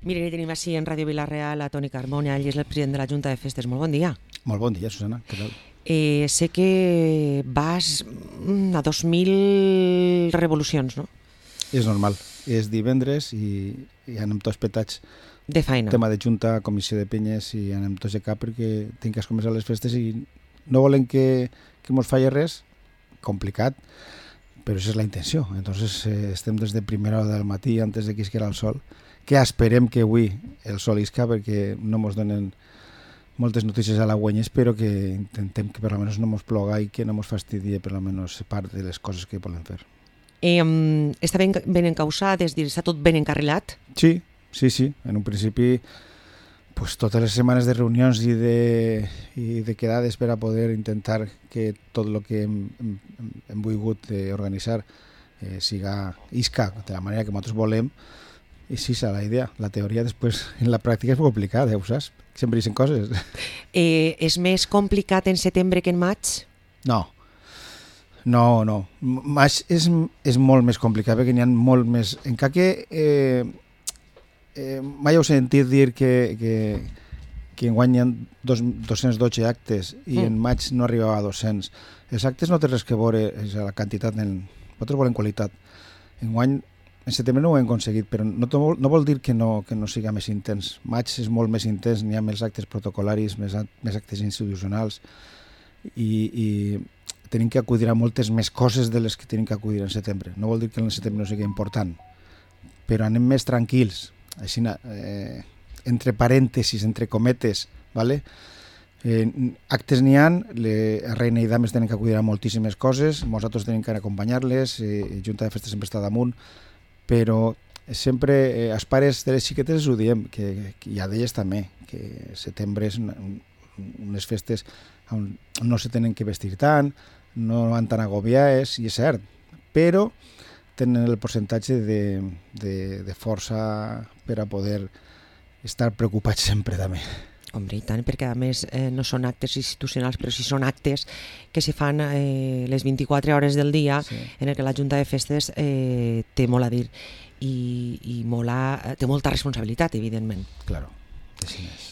Miren, i tenim així en Ràdio Vila-real a Toni Carbone, ell és el president de la Junta de Festes. Molt bon dia. Molt bon dia, Susana. Què tal? Sé que vas a 2.000 revolucions, no? És normal. És divendres i anem tots petats. De feina. Tema de junta, comissió de penyes i anem tots de cap perquè tinc que començar les festes i no volen que mos falli res. Complicat, però això és la intenció. Entonces estem des de primera hora del matí antes de que isquera el sol, que esperem que avui el sol isca perquè no mos donen moltes notícies halagüenyes, però que intentem que per almenys no mos ploga i que no mos fastidie per almenys part de les coses que volem fer. Està ben encausat, és dir, està tot ben encarrilat? Sí. En un principi, pues, totes les setmanes de reunions i de quedades per a poder intentar que tot el que hem volgut organitzar isca de la manera que nosaltres volem. I sí, és la idea. La teoria després en la pràctica és molt complicada, ho saps? Sempre dicen coses. És més complicat en setembre que en maig? No. Maig és molt més complicat perquè n'hi ha molt més... Encara que mai heu sentit dir que enguany hi ha 212 actes i en maig no arribava a 200. Els actes no té res que veure, és la quantitat. Nosaltres volem qualitat. Enguany en setembre no ho hem aconseguit, però no vol dir que no siga més intens. Maig és molt més intens, n'hi ha més actes protocolaris, més actes institucionals i tenim que acudir a moltes més coses de les que tenim que acudir en setembre. No vol dir que en setembre no sigui important, però anem més tranquils, així, entre parèntesis, entre cometes, ¿vale? Actes n'hi ha, a Reina i Dames tenen que acudir a moltíssimes coses, nosaltres tenim que acompanyar-les, Junta de Festes sempre està damunt, però sempre els pares de les xiquetes ho diem, i a d'elles també, que setembre és unes festes on no se tenen que vestir tant, no van tan agobiades, i és cert, però tenen el percentatge de força per a poder estar preocupats sempre també. Hombre, i tant, perquè a més no són actes institucionals, però sí són actes que se fan les 24 hores del dia, sí, en el que la Junta de Festes té molt a dir i té molta responsabilitat, evidentment. Claro, així és.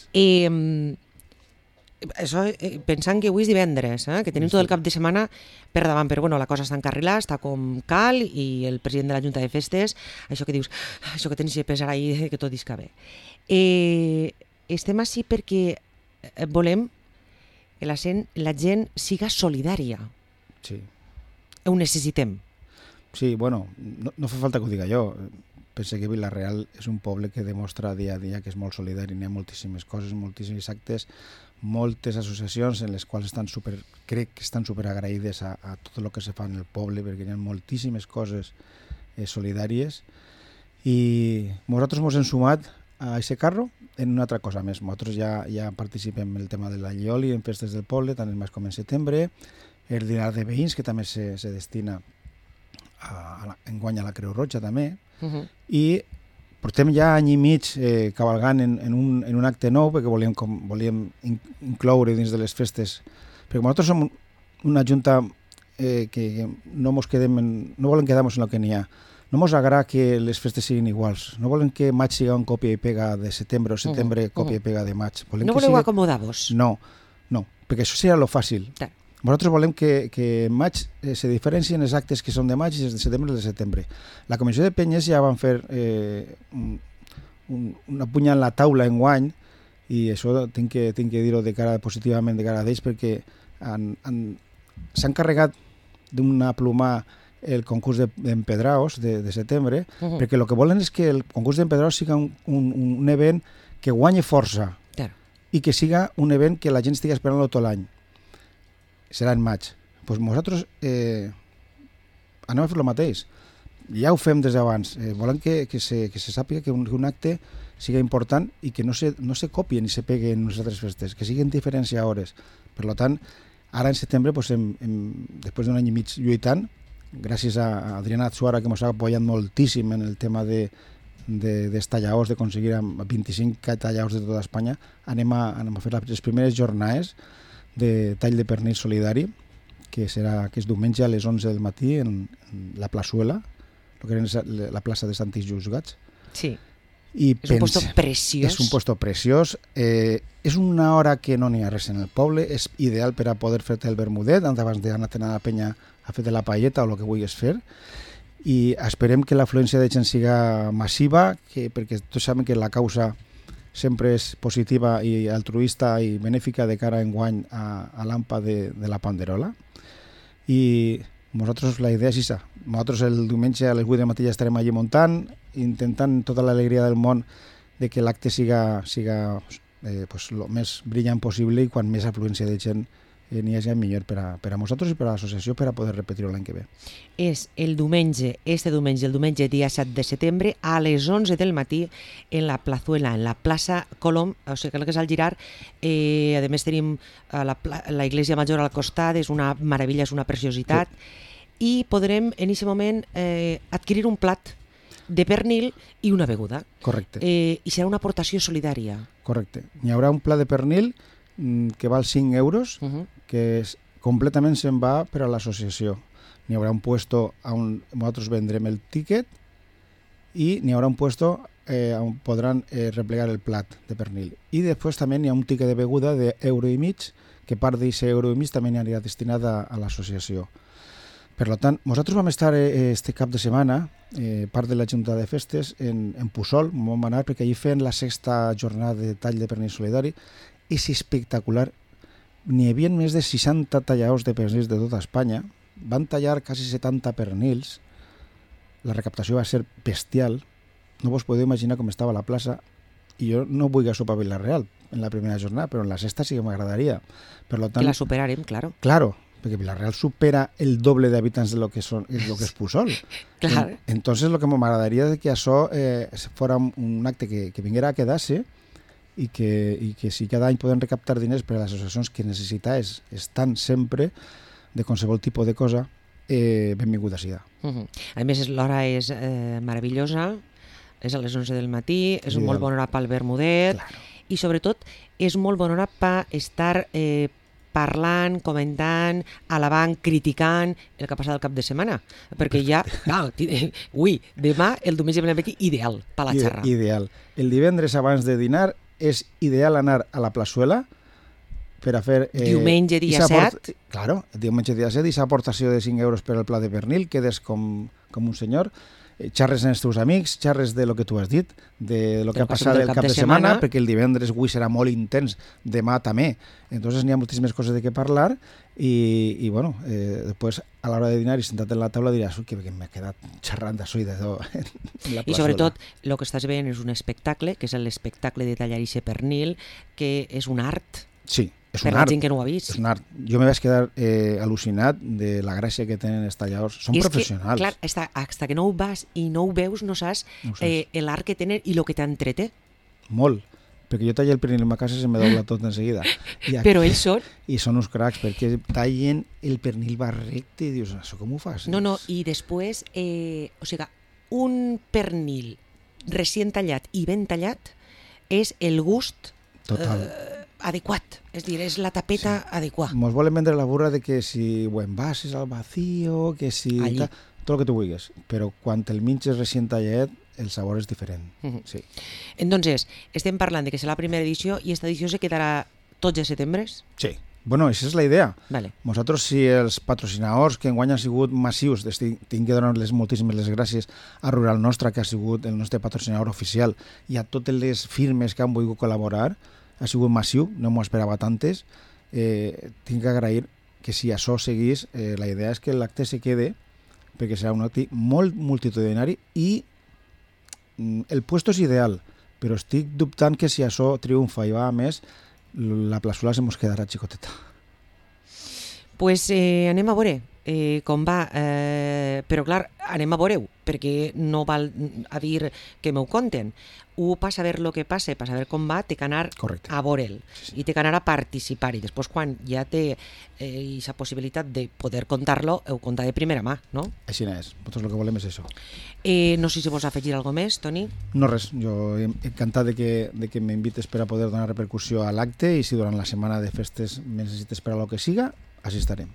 Això, pensant que avui és divendres, que tenim tot el cap de setmana per davant, però bueno, la cosa està encarrilada, està com cal, i el president de la Junta de Festes, això que dius, això que tens que pesar ahir, que tot isca bé. Estem així perquè volem que la gent siga solidària. Sí. Ho necessitem. Sí, bueno, no fa falta que ho diga jo. Penso que Vila-real és un poble que demostra dia a dia que és molt solidari. N'hi ha moltíssimes coses, moltíssims actes, moltes associacions en les quals crec que estan superagraïdes a tot el que se fa en el poble, perquè hi ha moltíssimes coses solidàries. I nosaltres ens hem sumat a aquest carro en una altra cosa més. Nosaltres ja participem en el tema de l'allioli, en festes del poble, tant en maig com en setembre, el dinar de veïns, que també se destina enguany a la Creu Roja també, i portem ja any i mig cavalgant en un acte nou, perquè volíem incloure dins de les festes, perquè nosaltres som una junta que no volem quedar-nos en el que n'hi ha. No ens agrada que les festes siguin iguals. No volem que maig siga un còpia i pega de setembre o setembre còpia i pega de maig. No voleu acomodar-vos? No, perquè això seria lo fàcil. Nosaltres volem que maig se diferencien els actes que són de maig i els de setembre i de setembre. La Comissió de Penyes ja van fer una punya en la taula enguany, i això tinc que dir-ho positivament de cara d'ells, perquè s'han carregat d'una pluma el concurs d'empedraos de setembre, perquè el que volen és que el concurs d'empedraos siga un event que guanyi força i que siga un event que la gent estigui esperant-lo tot l'any. Serà en maig. Doncs nosaltres anem a fer el mateix. Ja ho fem des d'abans. Volem que se sàpiga que un acte siga important i que no se copie ni se pegue en les altres festes, que siguin diferents hores. Per tant, ara en setembre, després d'un any i mig lluitant, gràcies a Adriana Atsuara, que ens ha apoyat moltíssim en el tema dels talladors, d'aconseguir 25 talladors de tota Espanya, anem a fer les primeres jornades de tall de pernil solidari, que és diumenge a les 11 del matí en la plaçuela, que era la plaça de Santis Jusgats. Sí. I és un puesto preciós. És un puesto preciós. És una hora que no n'hi ha res en el poble. És ideal per a poder fer-te el vermudet abans d'anar a la penya a fer-te la paelleta o el que vulguis fer. I esperem que l'afluència de gent siga massiva, perquè tots saben que la causa sempre és positiva i altruista i benèfica de cara a enguany a l'AMPA de la Panderola. I nosaltres la idea és això. Nosaltres el diumenge a les 8 del matí ja estarem allí muntant, intentant tota l'alegria del món de que l'acte siga el més brillant possible i quan més afluència de gent n'hi hagi millor per a nosaltres i per a l'associació per a poder repetir-ho l'any que ve. És el diumenge dia 7 de setembre a les 11 del matí en la Plazuela, en la plaça Colom, o sigui que és al Girar. A més tenim la Iglesia Major al costat, és una meravella, és una preciositat, i podrem en aquest moment adquirir un plat de pernil i una beguda. Correcte. I serà una aportació solidària. Correcte. N'hi haurà un plat de pernil que val 5 euros, que completament se'n va per a l'associació. N'hi haurà un puesto on nosaltres vendrem el tíquet i n'hi haurà un puesto on podran replegar el plat de pernil. I després també n'hi ha un tíquet de beguda d'1,5 €, que part d'aquest €1,5 també anirà destinat a l'associació. Per tant, nosaltres vam estar este cap de setmana, part de la Junta de Festes, en Puçol, vam anar perquè allí feien la 6ª jornada de tall de pernil solidari. És espectacular. N'hi havia més de 60 talladors de pernils de tota Espanya. Van tallar quasi 70 pernils. La recaptació va ser bestial. No vos podeu imaginar com estava la plaça. I jo no vull sopar a Vila-real en la primera jornada, però en la sexta sí que m'agradaria. Per tant, que la superarem, claro. Claro, perquè Vila-real supera el doble d'habitants de lo que és Puçol. Claro. Entonces lo que m'agradaria és que això fora un acte que vinguera a quedar-se i que si cada any podem recaptar diners per a les associacions que necessitades estan sempre de qualsevol tipus de cosa, benvinguda siga. A més, l'hora és meravellosa, és a les 11 del matí, és un molt bona hora pel vermudet, i sobretot és molt bona hora per estar parlant, comentant, alabant, criticant el que ha passat el cap de setmana. Perquè ja, demà, el diumenge ve aquí, ideal per la xarra. Ideal. El divendres abans de dinar és ideal anar a la Plazuela per a fer... Diumenge dia 7. Claro, diumenge dia 7, i aquesta aportació de 5 euros per al plat de pernil, quedes com un senyor, xarres amb els teus amics, xarres de lo que tu has dit, de lo que ha passat el cap de setmana, perquè el divendres avui serà molt intens, demà també. Entonces n'hi ha moltíssimes coses de què parlar i bueno, després a l'hora de dinar i sentat en la taula diràs que m'he quedat xerrant d'això i d'allò. I sobretot el que estàs veient és un espectacle, que és l'espectacle de tallar ixe pernil, que és un art. Sí, és per un la art. gent que no ho ha vist. És un art. Jo me vaig quedar al·lucinat de la gràcia que tenen els talladors. Són professionals. Clar, hasta que no ho vas i no ho veus, no saps l'art que tenen i el que t'entrete. Molt. Perquè jo tallo el pernil en ma casa i se me dobla tot en seguida. Però ells són... I són uns cracs, perquè tallen el pernil va recte i dius, això com ho fas? No, i després, o sigui, un pernil recient tallat i ben tallat és el gust adequat, és a dir, és la tapeta adequada. Mos volen vendre la burra de que si ho envases al vacío, que si... tot el que tu vulguis, però quan el menges recient tallat, el sabor és diferent. Sí. Entonces, estem parlant de que serà la primera edició i aquesta edició se quedarà tots els setembre? Sí. Bueno, aquesta és la idea. Vale. Nosaltres, si els patrocinadors que enguany han sigut massius, tinc que donar-les moltíssimes les gràcies a Rural Nostra, que ha sigut el nostre patrocinador oficial, i a totes les firmes que han volgut col·laborar, ha sigut massiu, no m'ho esperava tantes. Tinc que agrair que si això seguís, la idea és que l'acte se quede, perquè serà un acte molt multitudinari i el puesto és ideal, però estic dubtant que si això triomfa i va a més, la Plazuela se mos quedarà xicoteta. Pues anem a veure com va, però clar, anem a veure-ho, perquè no val a dir que m'ho conten. Per saber el que passa, per saber com va, té que anar a veure'l i té que anar a participar, i després quan ja té aquesta possibilitat de poder contar-lo, ho conta de primera mà, no? Així és, nosaltres el que volem és això. No sé si vols afegir alguna més, Toni? No res, jo encantat de que m'invites per a poder donar repercussió a l'acte, i si durant la setmana de festes me necessites per a lo que siga, així estarem.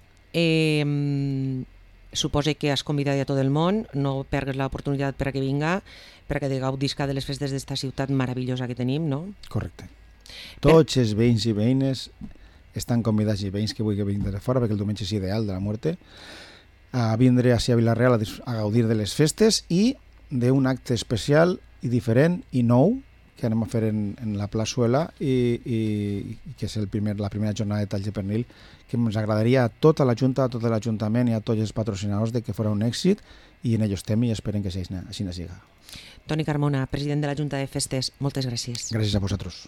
Suposo que has convidat a tot el món, no pergues l'oportunitat per a que vinga, per a que gaudisca de les festes d'esta ciutat meravellosa que tenim, no? Correcte. Tots els veïns i veïnes estan convidats, i veïns que vulguin venir de fora, perquè el diumenge és ideal de la muerte, a vindre a Vila-real a gaudir de les festes i d'un acte especial i diferent i nou que anem a fer en la plaçuela i que és la primera jornada de talls de pernil, que ens agradaria a tota la Junta, a tot l'Ajuntament i a tots els patrocinadors de que fora un èxit, i en ello estem i esperem que així siga. Toni Carmona, president de la Junta de Festes, moltes gràcies. Gràcies a vosaltres.